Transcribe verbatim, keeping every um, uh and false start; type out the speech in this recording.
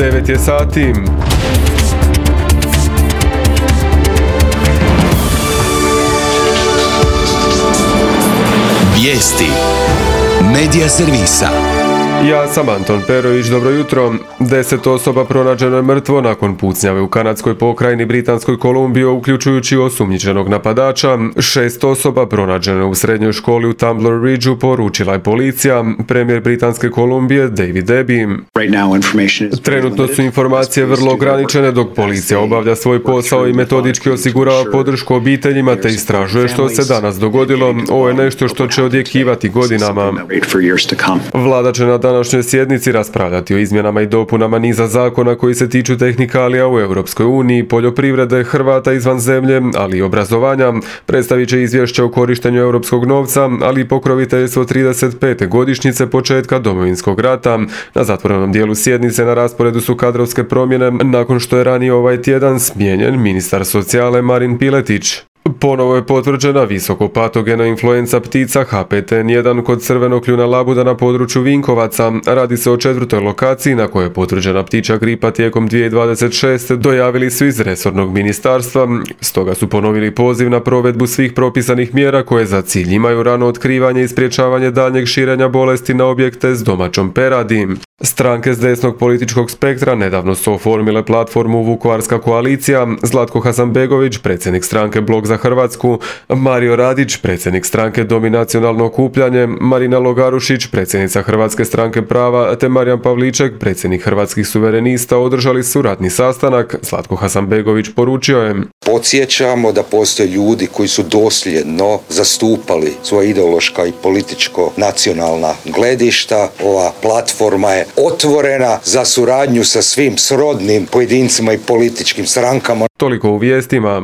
devet je sati. Vijesti Medija servisa. Ja sam Anton Perović, dobro jutro. Deset osoba pronađeno je mrtvo nakon pucnjave u kanadskoj pokrajini Britanskoj Kolumbiji, uključujući osumnjičenog napadača. Šest osoba pronađeno u srednjoj školi u Tumbler Ridgeu, poručila je policija. Premijer Britanske Kolumbije David Eby. Trenutno su informacije vrlo ograničene dok policija obavlja svoj posao i metodički osigurava podršku obiteljima te istražuje što se danas dogodilo. Ovo je nešto što će odjekivati godinama. Vlada će na današnjoj sjednici raspravljati o izmjenama i dopunama niza zakona koji se tiču tehnikalija u Europskoj uniji, poljoprivrede, Hrvata izvan zemlje, ali i obrazovanja. Predstavit će izvješće o korištenju europskog novca, ali i pokroviteljstvo trideset pete godišnjice početka Domovinskog rata. Na zatvorenom dijelu sjednice na rasporedu su kadrovske promjene nakon što je ranije ovaj tjedan smijenjen ministar socijale Marin Piletić. Ponovo je potvrđena visokopatogena influenca ptica H P T N jedan kod crvenog kljuna labuda na području Vinkovaca. Radi se o četvrtoj lokaciji na kojoj je potvrđena ptičja gripa tijekom dvije tisuće dvadeset šeste. Dojavili su iz resornog ministarstva, stoga su ponovili poziv na provedbu svih propisanih mjera koje za cilj imaju rano otkrivanje i sprječavanje daljnjeg širenja bolesti na objekte s domaćom peradi. Stranke s desnog političkog spektra nedavno su oformile platformu Vukovarska koalicija. Zlatko Hasanbegović, predsjednik stranke Blok za Hrvatsku, Mario Radić, predsjednik stranke Dominacionalno okupljanje, Marina Logarušić, predsjednica Hrvatske stranke prava, te Marijan Pavliček, predsjednik Hrvatskih suverenista, održali su ratni sastanak. Zlatko Hasanbegović poručio je: Podsjećamo da postoje ljudi koji su dosljedno zastupali svoja ideološka i političko nacionalna gledišta. Ova platforma je otvorena za suradnju sa svim srodnim pojedincima i političkim strankama. Toliko u vijestima.